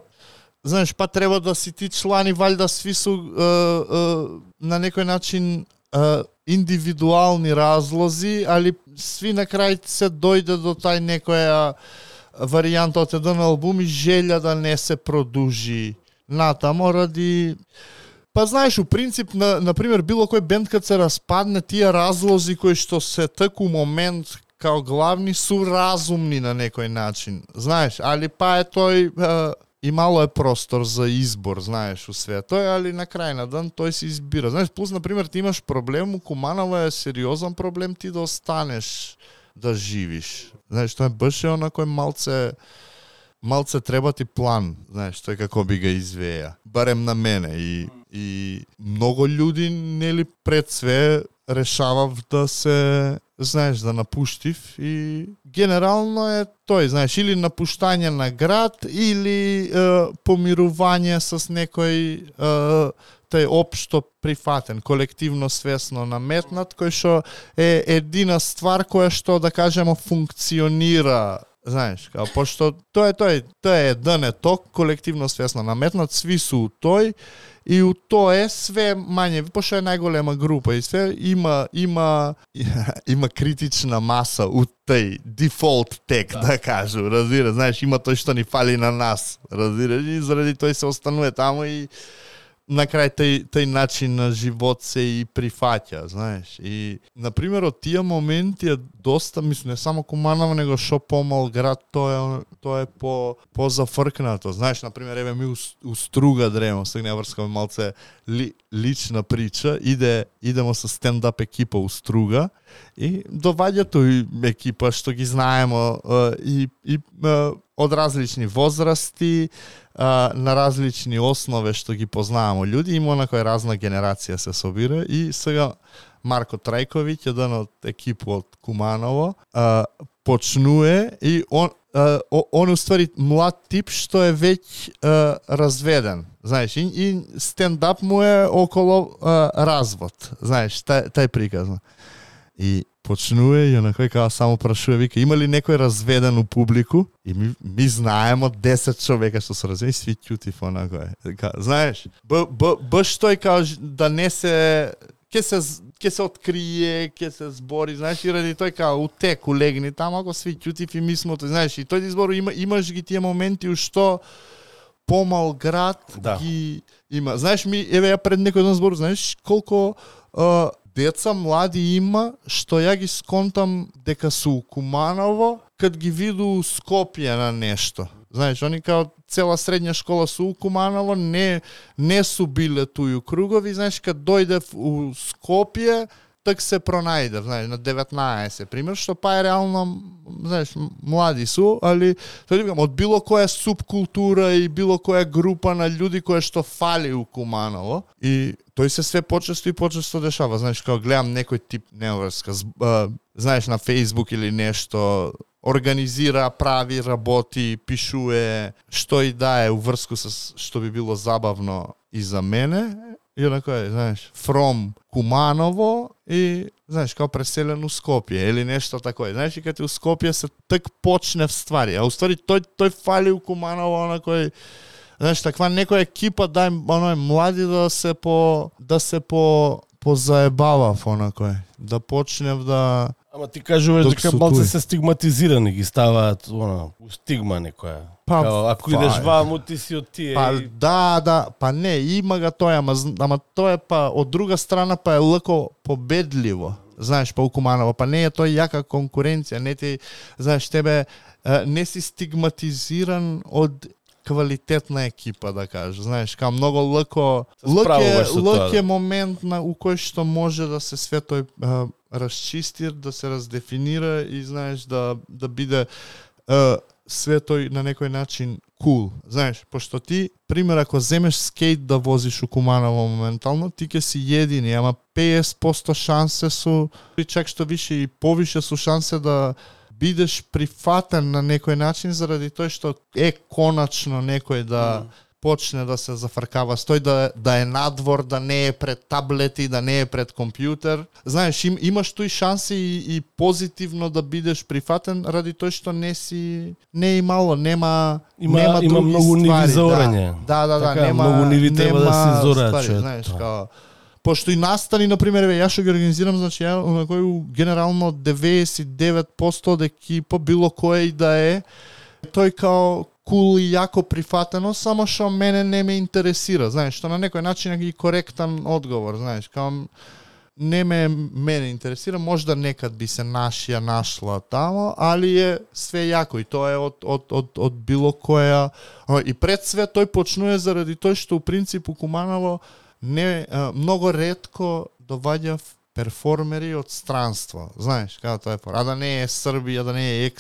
знаеш, па треба да си ти члани валјда сви су е, е, на некој начин е, индивидуални разлози, али сви на крај се дојде до тај некоја варијанта од еден албум и желја да не се продужи натамо ради... Па знаеш, у принцип, на, например, било кој бенд кад се распадне, тие разлози кои што се таку момент као главни су разумни на некој начин, знаеш, али па е тој... Е, и мало е простор за избор, знаеш, у све тој, али на крај на ден тој се избира. Знаеш, плюс, например, ти имаш проблем, у Куманово е сериозен проблем ти да останеш да живиш. Знаеш, тоа е баш е онакој малце, малце треба ти план, знаеш, тој како би га извеја. Барем на мене. И, и многу луѓи, нели, пред све решавав да се, знаеш, да напуштив и генерално е тој, знаеш, или напуштање на град, или е, помирување с некој е, тај општо прифатен, колективно свесно наметнат, кој што е едина ствар која што, да кажемо, функционира, знаеш, као, пошто тоа е тој, тоа е еден ток, колективно свесно наметнат, сви су у тој, и у тоа е све мање, пошто е најголема група и све има има има критична маса у тај дефолт тек, да, да кажу, разбира, знаеш, има тој што ни фали на нас, разбира, и заради тој се останува таму и на крај тај, тај начин на живот се и прифаќа, знаеш. И, например, од тие моменти е доста, мислам, не само Куманово, него шо помал град, тоа е, тоа е по, по-зафркнато. Знаеш, например, еве ми у, у Струга дремо, сега не врскаме малце ли, лична прича, иде, идемо со стендап екипа у Струга и доваѓа тој екипа што ги знаемо и, и од различни возрасти, на различни основи што ги познавамо луѓе, има на која разна генерација се собира и сега Марко Трајковиќ, еден од екипу од Куманово, почнуе и он он уствари млад тип што е веќе разведен, знаеш, и, и стендап му е около развод, знаеш, тај, тај приказна. И почнуе и онакој као само прашува, вика, има ли некој разведен у публику? И ми, ми знаемо десет човека што се разведени, сви ќутив онакој. Знаеш, б, б, баш тој као да не се ќе се ќе се открие, ќе се збори, знаеш, и ради тој као утек улегни таму, ако сви ќутив и мислото, знаеш, и тој избор има имаш ги тие моменти у што помал град да. Ги има. Знаеш, ми еве ја пред некој ден збор, знаеш колку а, деца млади има што ја ги сконтам дека су Куманово кад ги виду Скопје на нешто. Знаеш, они као цела средња школа су у Куманово, не не су биле туи кругови, знаеш, кад дојде у Скопје, так се пронајде, знаеш, на деветнаесет, пример, што па е реално, знаеш, млади су, али, тоа викам, од било која субкултура и било која група на луѓе која што фали у Куманово, и тој се све почесто и почесто дешава, знаеш, као гледам некој тип неврска, знаеш, на Facebook или нешто, организира, прави, работи, пишуе, што и да е уврску со што би било забавно и за мене, и онако е, знаеш, from Куманово и, знаеш, као преселен у Скопје или нешто тако е. Знаеш, и кога ти у Скопје се так почне в ствари, а у ствари тој, тој фали у Куманово, онако е, знаеш, таква некоја екипа дај оној млади да се по да се по позаебавав онакој, да почнев да. Ама ти кажуваш дека малце се стигматизирани, ги ставаат она, стигма некоја. Па, Као, ако па, идеш ваму, ти си од тие. Па и... да, да, па не, има га тоа, ама, ама тоа е па од друга страна па е лако победливо. Знаеш, па у Куманово, па не е тоа јака конкуренција, не ти, знаеш, тебе не си стигматизиран од квалитетна екипа, да кажа. Знаеш, као многу лако, лак е, лак е момент на у кој што може да се све тој а, расчисти, да се раздефинира и знаеш да да биде а, све тој на некој начин кул. Cool. Знаеш, пошто ти, пример, ако земеш скейт да возиш у Куманово моментално, ти ќе си едини, ама петдесет проценти шансе су, и чак што више и повише су шансе да бидеш прифатен на некој начин заради тој што е коначно некој да mm. почне да се зафркава стој, да, да е надвор, да не е пред таблети, да не е пред компјутер. Знаеш, им, имаш тој шанси и, и позитивно да бидеш прифатен ради тој што не си не е имало, нема има, нема има други многу ствари. ниви за орање. Да, да, да, така, да нема многу ниви треба да се зорачат. Знаеш, као пошто и настани, например, ја што ги организирам, значи ја на кој генерално деветдесет и девет проценти од екипа, било кој и да е, тој као кул и јако прифатено, само што мене не ме интересира, знаеш, што на некој начин е коректен одговор, знаеш, као не ме мене интересира, можда некад би се нашија нашла тамо, али е све јако и тоа е од од од од било која и пред све тој почнува заради тој што у принцип у Куманово не а, многу ретко доваѓа перформери од странство, знаеш, како тоа е, а да не е Србија, да не е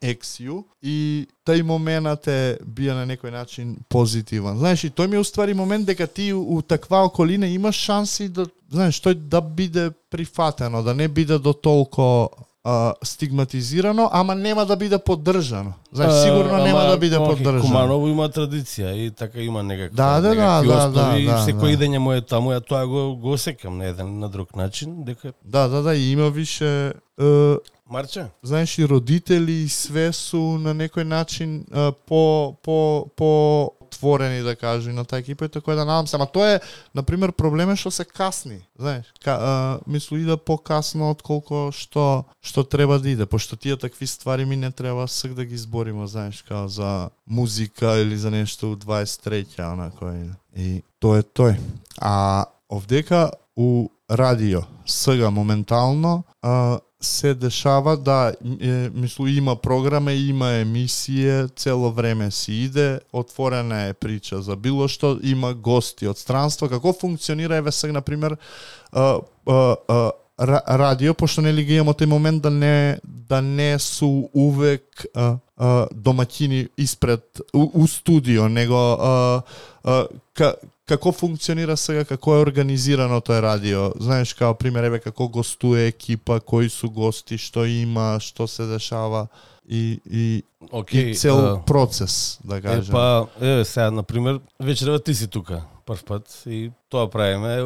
екс ю и тај моментот е бија на некој начин позитивен. Знаеш, и тој ми е уствари момент дека ти у, у таква околина имаш шанси да, знаеш, тој да биде прифатено, да не биде до толку а, стигматизирано, ама нема да биде поддржано. Знаеш, сигурно а, нема ама, да биде okay, поддржано. Куманово има традиција и така има некаква да, да, да, да, да, да, секој да. идење му е таму, ја тоа го го осекам на еден на друг начин, дека да, да, да, и има више е, Марче? Знаеш, и родители и све су на некој начин а, по по по отворени, да кажу, на таа екипа, така да надам се. Ама тоа е, например, проблем е што се касни, знаеш. Ка, а, мислу иде покасно отколку што што треба да иде, пошто тие такви ствари ми не треба сак да ги збориме, знаеш, као за музика или за нешто у дваесет и трета, онако е. И тоа е тој. А овдека у радио сега моментално а, се дешава да е, мислу има програма, има емисија, цело време си иде, отворена е прича за било што, има гости од странство. Како функционира еве сега на пример а, а, а, радио, пошто нели ги имаме тој момент да не да не су увек а, а, домаќини испред у, у студио, него а, а, ка, како функционира сега, како е организирано тој радио? Знаеш, као пример, еве како гостуе екипа, кои су гости, што има, што се дешава и и, okay, и цел uh, процес, да кажем. Е, па, еве сега, на пример, вечерва ти си тука прв пат и тоа правиме.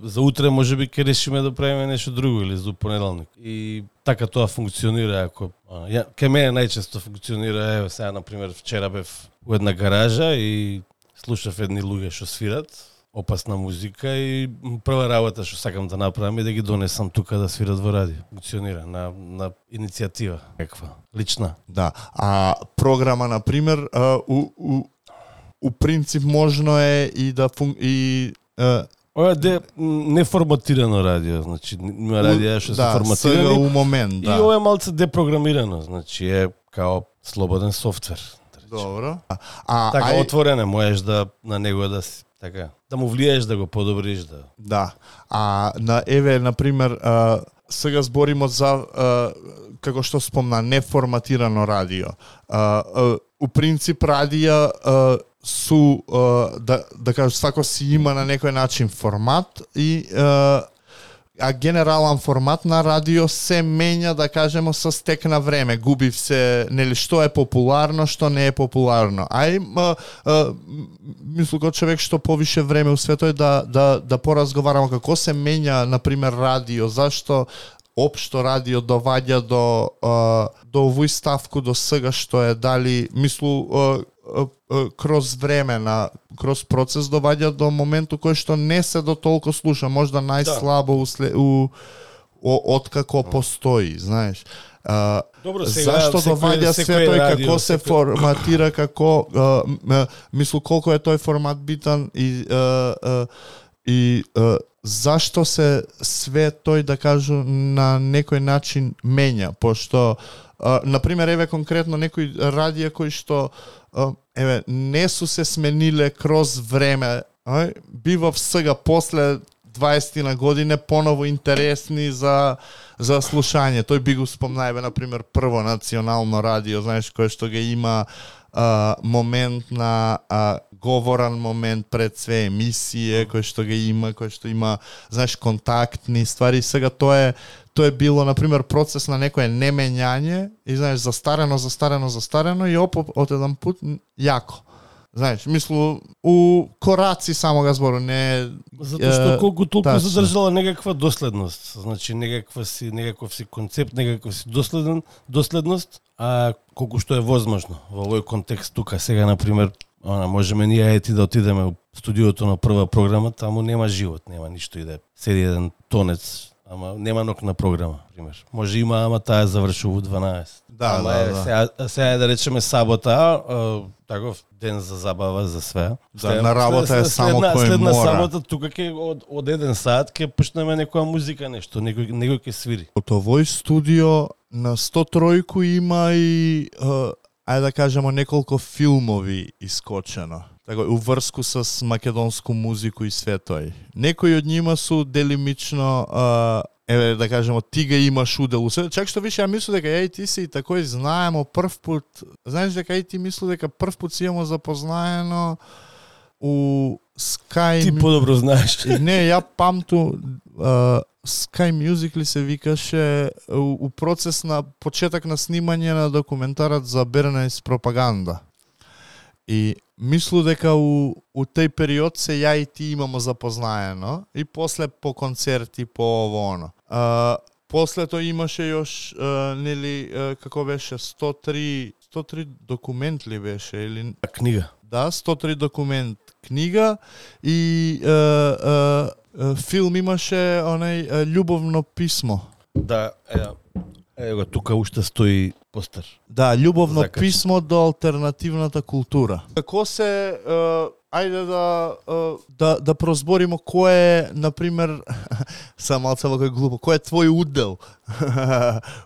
За утре можеби ќе решиме да правиме нешто друго или за понеделник. И така тоа функционира, ако ја ке мене најчесто функционира, еве сега на пример вчера бев у една гаража и слушав едни луѓе што свират опасна музика и прва работа што сакам да направам е да ги донесам тука да свират во радио. Функционира на на иницијатива каква лична. Да, а програма на пример у у у принцип можно е и да фун... и uh... Ова де неформатирано радио, значи има радио што да, се форматирани. Да, у момент, да. И ова е малце депрограмирано, значи е као слободен софтвер. Добро. А така ај... отворено можеш да на него да си така да му влиеш да го подобриш да. Да. А на еве на пример а, сега зборимо за а, како што спомна неформатирано радио. А, а, у принцип радио а, су а, да да кажам свако си има на некој начин формат и а, а генерален формат на радио се менја, да кажемо, со стек на време. Губи се, нели, што е популарно, што не е популарно. Ај, м, м, мислу како човек што повише време у светот да, да, да поразговараме како се менја, например, радио, зашто општо радио доваѓа до, до овој ставку, до сега што е, дали, мислу, кроз време, на, кроз процес доваѓа до моменту кој што не се до толку слуша, можда најслабо да. у, у, откако постои, знаеш. А, Добро, сега, зашто доваѓа се тој, радио, како се секој... форматира, како, а, м, мислу, колко е тој формат битан и, а, а, и а, зашто се све тој, да кажу, на некој начин менја, пошто, а, например, еве конкретно некои радија кои што а, еве не су се смениле кроз време, ај, бива сега после дваесет на години поново интересни за за слушање. Тој би го спомнајбе, например, прво национално радио, знаеш, кој што ги има а, момент на а, говоран момент пред све емисија, кој што ги има, кој што има, знаеш, контактни ствари. Сега тоа е тоа е било, например, процес на некое немењање и, знаеш, застарено, застарено, застарено и опо од еден пут јако. Знаеш, мислу, у кораци само га збору, не... Затоа што колку толку тачно. задржала некаква доследност, значи некаква си, некаков си концепт, некаков си доследен, доследност, а колку што е возможно во овој контекст тука. Сега, например, она, можеме ние ети да отидеме у студиото на прва програма, таму нема живот, нема ништо и да седи еден тонец, ама нема нокна програма, пример. Може има, ама таа завршува у дванаесет. Да, ама да, е, да. Сега, сега е да речеме сабота, а, таков ден за забава за све. Да, на работа е само следна, кој следна мора. сабота тука ќе од, од еден саат ќе пуштнеме некоја музика, нешто, некој некој ќе свири. Од овој студио на сто три има и, uh, ајде да кажемо, неколку филмови искочено. Така, уврску с македонску музику и све тој. Некои од нима су делимично, uh, еве да кажемо, ти га имаш удел. Чак што више, ја мислу дека ја и ти си такој знаемо прв пут. Знаеш дека и ти мислу дека прв пут си имamo запознаено у Sky... Ти подобро знаеш. Не, ја памту, uh, Sky Music ли се викаше, у, у процес на почеток на снимање на документарот за Бернес пропаганда. И мислу дека у, у тој период се ја и ти имамо запознаено и после по концерти, по ово оно. Uh, после тоа имаше још, uh, нели, uh, како беше, сто три, сто три документ ли беше? Или... Книга. Да, сто три документ книга и uh, uh, филм имаше онај uh, љубовно писмо. Да, е, ево тука уште стои постер. Да, љубовно Закачен. писмо до алтернативната култура. Како се, uh, ајде да, uh, да да прозборимо кој е, например, само малце кој глупо, кој е твој удел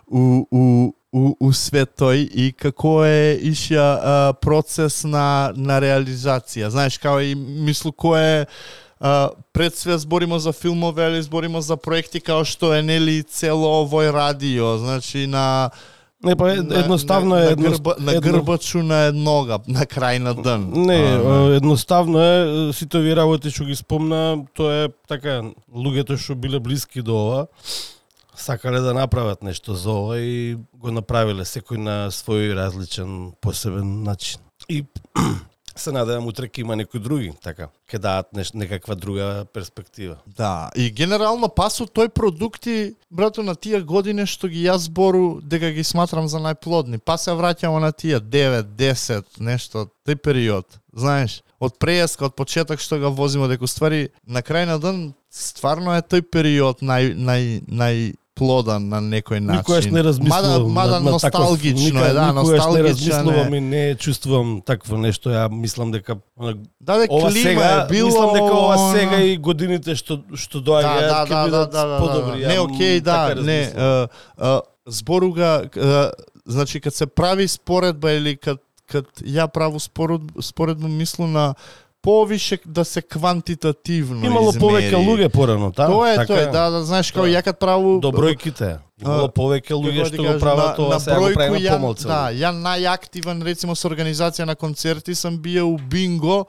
у у у у свет тој и како е ишја uh, процес на на реализација. Знаеш, као и мислу кој е Uh, пред све зборимо за филмови, али зборимо за проекти као што е, нели, цело овој радио, значи на Не, па едноставно на, е на, едно, грба, на едно... грбачу на еднога, на крај на ден. Не, а, едноставно е, сите овие работи што ги спомна, тоа е така, луѓето што биле блиски до ова, сакале да направат нешто за ова и го направиле секој на свој различен, посебен начин. И се надевам утре ќе има некои други, така, ќе дадат неш, некаква друга перспектива. Да, и генерално пасу тој продукти, брато, на тие години што ги јас збору дека ги сматрам за најплодни. Па се враќамо на тие девет, десет, нешто, тој период. Знаеш, од прејаска, од почеток што го возимо, дека ствари на крај на ден стварно е тој период нај нај нај плодан на некој начин. Никогаш не размислувам. Мада, мада на, на носталгично таков, е, да, никогаш носталгично не размислувам е. и не чувствувам такво нешто. Ја мислам дека Да, дека ова клима сега, е било... мислам дека ова она- сега и годините што што доаѓаат да, ќе да, бидат да, да, да, подобри. да. Не, Ја окей, да, така не. размислувам. Uh, uh, зборуга, uh, значи, кад се прави споредба или кад, кад ја праву според, споредба, мислу на повише да се квантитативно Имало измери. повеќе луѓе порано, та? Тоа е, така, тоа е, да, да, знаеш, како Да. ја кад праву... До бројките. Имало повеќе луѓе Како што да го кажам, прават ова, сега го правиме ја, помалку. да, ја најактивен, рецимо, со организација на концерти сам биел у бинго,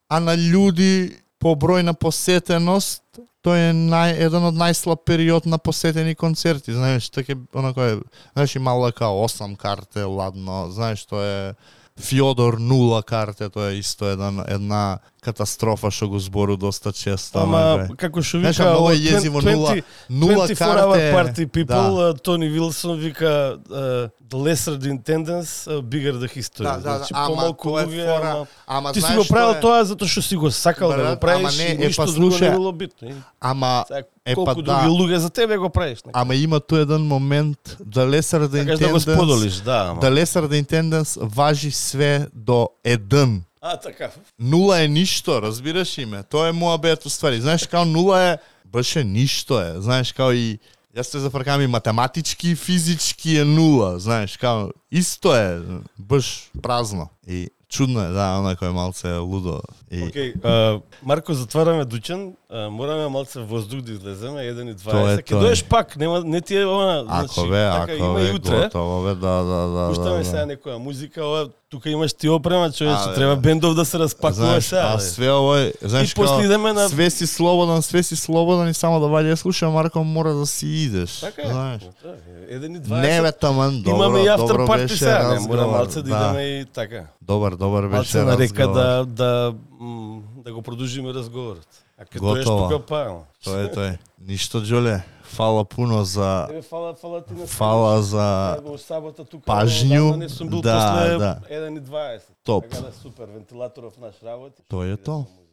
а на људи по број на посетеност, тој е нај, еден од најслаб период на посетени концерти, знаеш, така онако е, знаеш, имала као осам карте, ладно, знаеш, тоа е Фјодор нула карте, тоа е исто една, една катастрофа што го збору доста често. Ама, како што вика, много е језиво, нула, нула карте. Party people, да. Тони Вилсон вика uh, the lesser the attendance, uh, bigger the history. Да, да, значи, ама помалку тоа е луѓе, фора, ама... ама Ти си знаеш го правил е... тоа затоа што си го сакал Брат, да го правиш, ама не, и е, ништо па, друго слушай, не било битно. Ама Сега, е, колку па, други да. луѓе за тебе го правиш. Ама има тој еден момент да lesser the Сакаш да го attendance, споделиш, да, ама. да lesser the attendance важи све до еден. А, така. Нула е ништо, разбираш име. Тоа е муабет уствари. Знаеш, као нула е, баше ништо е. Знаеш, као и јас те зафркам и математички и физички е нула. Знаеш, као исто е, баш празно. И чудно е, да, онако е малце лудо. И... Океј, okay, Марко, затвараме Дучан, а, мораме малце воздух да излеземе, еден и Тоа е дваесет. Ке доеш пак, нема, не ти е она, Ако значи, бе, така, ако има бе, и утре. готово бе, да, да, да. Пуштаме да, сега да. некоја музика, ова, тука имаш ти опрема, човече, А, треба бе. бендов да се распакува Знаеш, сега. а бе. све овој, знаеш, И после идеме на- све си слободен, све си слободен и само да ваѓа слуша, Марко, мора да си идеш. Така е. Знаеш. Да, еден и дваесет. Не бе, таман, добро, Имаме и автор добро парти беше сега, не, разговор. мора малце да да. идеме и така. Добар, добар беше Малце на река разговор. да, да, м, да го продолжиме разговорот. А кога доеш Готово. тука па, ама. Тоа е тој. Ништо, Џоле. Фала пуно за Тебе фала, фала ти на фала за Го сабота тука. пажњу. одамна Не сум бил Да, после да. еден и дваесет. Топ. Така да супер, вентилаторов наш работи. Тоа е Иде тоа. со музика.